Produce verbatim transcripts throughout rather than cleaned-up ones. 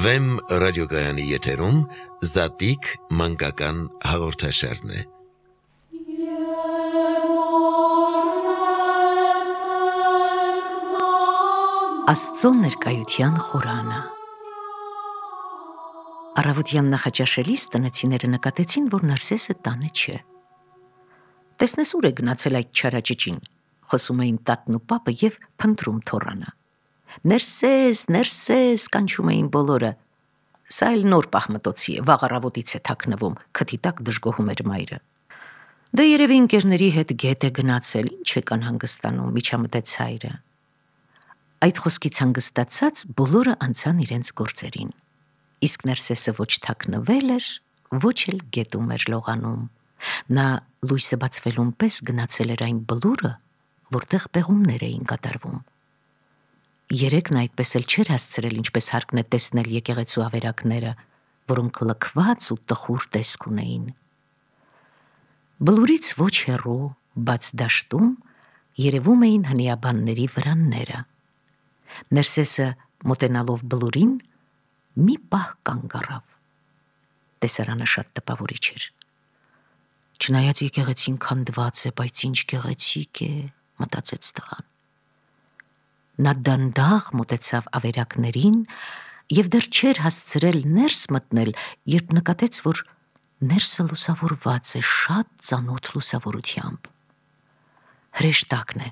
Վեմ ռադիոգայանի եթերում Զատիկ մանկական հաղորդաշարն է։ Աստծո ներկայության խորանը։ Առավոտյան նախաճաշելիս տնեցիները նկատեցին, որ Նարսեսը տանը չէ։ Տեսնես ուր է գնացել այդ չարաճճին, խոսում էին տատն ու պապը և փնտրում թոռանը։ Ներսես, Ներսես, կանչում էին բոլորը։ Սա էլ նոր պահմտոցի է, վաղ առավոտից է թաքնվում, քթի տակ դժգոհում էր մայրը։ Դե երևի ընկերների հետ գետ է գնացել, ինչ եք անհանգստանում, միջամտեց հայրը։ Այդ խոսքից հանգստացած բոլորը անցան իրենց գործերին։ Իսկ Ներսեսը ոչ թաքնվել էր, ոչ էլ գետում էր լողանում։ Նա լույսը բացվելուն պես գնացել էր այն բլուրը, որտեղ պեղումներ էին կատարվում։ Երեկ նա այդպես էլ չէր հասցրել, ինչպես հարկն է տեսնել եկեղեցու ավերակները, որոնք լքված ու տխուր տեսք ունեին։ Բլուրից ոչ հեռու, բաց դաշտում երևում էին հնիաբանների վրանները։ Ներսեսը մոտենալով բլուրին մի պահ կանգ առավ։ Տեսարանը շատ տպավորիչ էր։ Չնայած եկեղեցին քանդված է, բայց ինչ գեղեցիկ է, մտածեց տղան։ Նա դանդաղ մոտեցավ ավերակներին և դեռ չէր հասցրել ներս մտնել, երբ նկատեց, որ ներսը լուսավորված է շատ ծանոթ լուսավորությամբ։ Հրեշտակն է,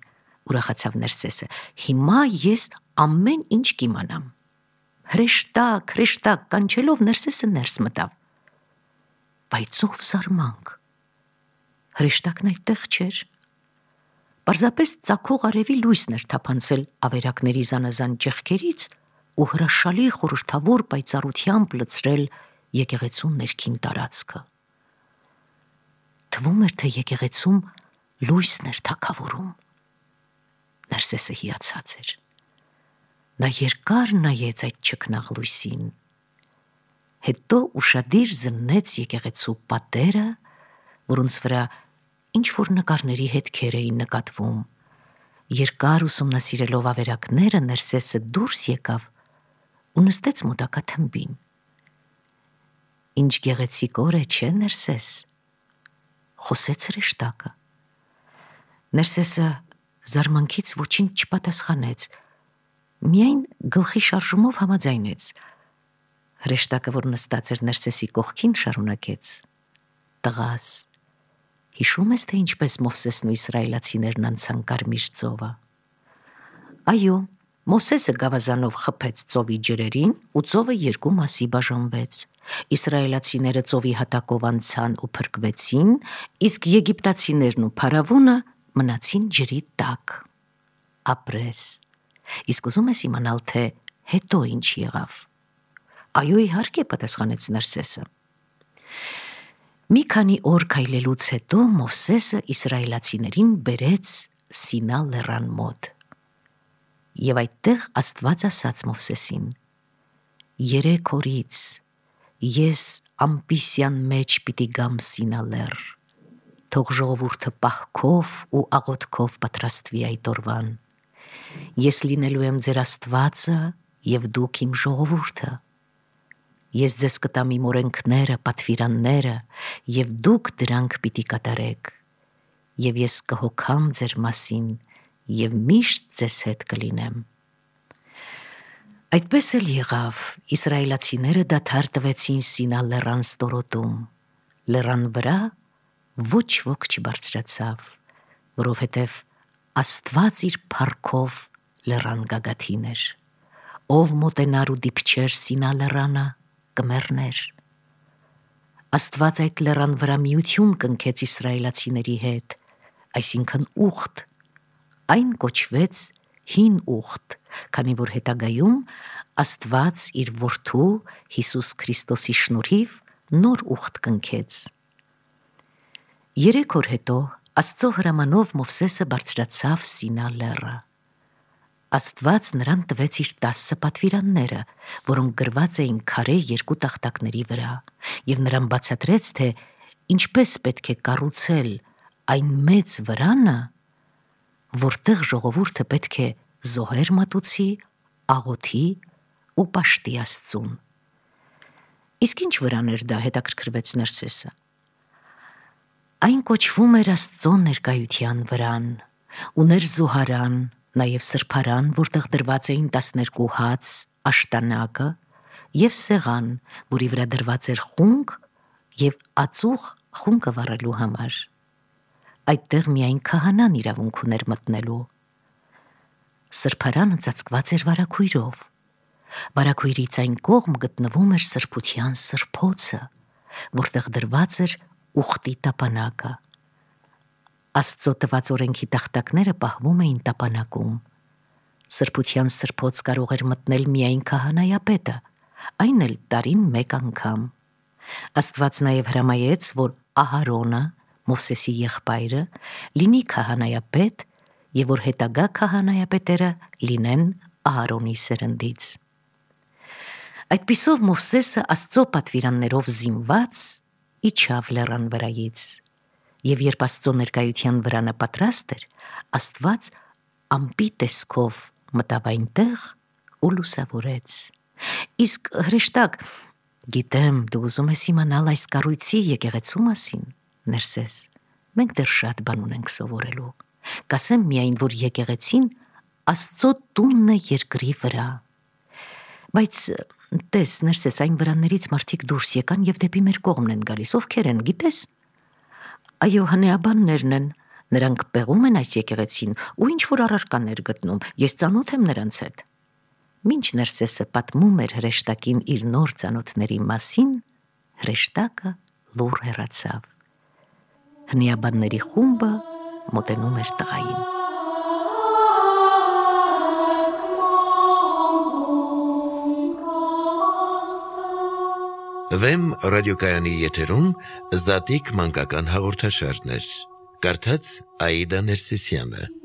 ուրախացավ Ներսեսը, հիմա ես ամեն ինչ կիմանամ։ Հրեշտակ, հրեշտակ կանչելով Ներսեսը ներս մտավ։ Բայց ով զարմանք։ Հրեշտակն այդտեղ չէր։ Պարզապես ծագող արևի լույսն էր թափանցել ավերակների զանազան ճեղքերից ու հրաշալի խորհրդավոր պայծառությամբ լցրել եկեղեցու ներքին տարածքը։ Թվում էր, թե եկեղեցում լույսն էր թագավորում։ Ներսեսը հիացած էր։ Նա երկար նայեց այդ չքնաղ լույսին։ Հետո ուշադիր զննեց եկեղեցու պատերը, որոնց վրա ինչ-որ նկարների հետքեր էին նկատվում։ Երկար ուսումնասիրելով ավերակները Ներսեսը դուրս եկավ ու նստեց մոտակա թմբին։ Ինչ գեղեցիկ օր է, չէ՞ Ներսես, խոսեց հրեշտակը։ Ներսեսը զարմանքից ոչինչ չպատասխանեց, միայն գլխի շարժումով համաձայնեց։ Հրեշտակը, որ նստած էր Ներսեսի կողքին, շարունակեց. Տղաս, հիշում ես, թե ինչպես Մովսեսն ու իսրայելացիներն անցան Կարմիր ծովը։ Այո, Մովսեսը գավազանով խփեց ծովի ջրերին ու ծովը երկու մասի բաժանվեց։ Իսրայելացիները ծովի հատակով անցան ու փրկվեցին, իսկ եգիպտացիներն ու փարավոնը մնացին ջրի տակ։ Ապրես։ Իսկ ուզում ես իմանալ, թե հետո ինչ եղավ։ Այո, իհարկե, պատասխանեց Ներսեսը։ Մի քանի օր քայլելուց հետո Մովսեսը իսրայելացիներին բերեց Սինա լեռան մոտ։ Եվ այդտեղ Աստված ասաց Մովսեսին. Երեք օրից ես ամպիսյան մեջ պիտի գամ Սինա լեռ, թող ժողովուրդը պահքով ու աղոթքով պատրաստվի այդ օրվան։ Ես լինելու եմ ձեր Աստվածը և դուք իմ ժողովուրդը։ Ես ձեզ կտամ իմ օրենքները, պատվիրանները, և դուք դրանք պիտի կատարեք, և ես կհոգամ ձեր մասին, և միշտ ձեզ հետ կլինեմ։ Այդպես էլ եղավ, իսրայելացիները դադար տվեցին Սինա լեռան ստորոտում, լեռան վրա ոչ ոք չբարձրացավ, որովհետև Աստված իր փառքով լեռան գագաթին էր, ով մոտենար ու դիպչեր Սինա լեռանը, կմեռներ։ Աստված այդ լեռան վրա միություն կնքեց իսրայելացիների հետ, այսինքն ուխտ, այն կոչվեց հին ուխտ, քանի որ հետագայում Աստված իր որդու Հիսուս Քրիստոսի շնորհիվ նոր ուխտ կնքեց։ Երեք օր հետո Աստծո հրամանով Մովսեսը բարձրացավ Սինա լեռը։ Աստված նրան տվեց իր տասը պատվիրանները, որոնք գրված էին քարե երկու տախտակների վրա, և նրան բացատրեց, թե ինչպես պետք է կառուցել այն մեծ վրանը, որտեղ ժողովուրդը պետք է զոհեր մատուցի, աղոթի ու պաշտի Աստծուն։ Իսկ ինչ վրան էր դա, հետաքրքրվեց Ներսեսը։ Այն կոչվում էր Աստծո ներկայության վրան, ուներ զուհարան, նաև սրբարան, որտեղ դրված էին տասներկու հաց, աշտանակը և սեղան, որի վրա դրված էր խունկ և ածուխ խունկը վառելու համար։ Այդտեղ միայն քահանան իրավունք ուներ մտնելու։ Սրբարանը ծածկված էր վարագույրով։ Վարագույրից այն կողմ գտնվում էր սրբության սրբոցը, որտեղ դրված էր ուխտի տապանակը։ Աստծո տված օրենքի տախտակները պահվում էին տապանակում։ Սրբության սրբոց կարող էր մտնել միայն քահանայապետը, այն էլ տարին մեկ անգամ։ Աստված նաև հրամայեց, որ Ահարոնը, Մովսեսի եղբայրը, լինի քահանայապետ և որ հետագա քահանայապետերը լինեն Ահարոնի սերնդից։ Այդպիսով Մովսեսը Աստծո պատվիրաններով զինված իջավ լեռան վրայից, և երբ Աստծո ներկայության վրանը պատրաստ էր, Աստված ամպի տեսքով մտավ այնտեղ ու լուսավորեց։ Իսկ հրեշտակ, գիտեմ, դու ուզում ես իմանալ այս կառույցի եկեղեցու մասին, Ներսես, մենք դեռ շատ բան ունենք սովորելու։ Կասեմ միայն, որ եկեղեցին Աստծո տունն է երկրի վրա։ Բայց տես, Ներսես, այն վրաններից մարդիկ դուրս եկան և դեպի մեր կողմն են գալիս, ովքեր են, գիտես։ Այո, հնեաբաններն են, նրանք պեղում են այս եկեղեցին ու ինչ-որ առարկաներ գտնում, ես ծանոթ եմ նրանց հետ։ Մինչ Ներսեսը պատմում էր հրեշտակին իր նոր ծանոթների մասին, հրեշտակը լուռ հեռացավ։ Հնեաբանների խումբը մոտենում էր տղային։ Վեմ ռադիոկայանի եթերում Զատիկ մանկական հաղորդաշարներ։ Կարդաց Աիդա Ներսիսյանը։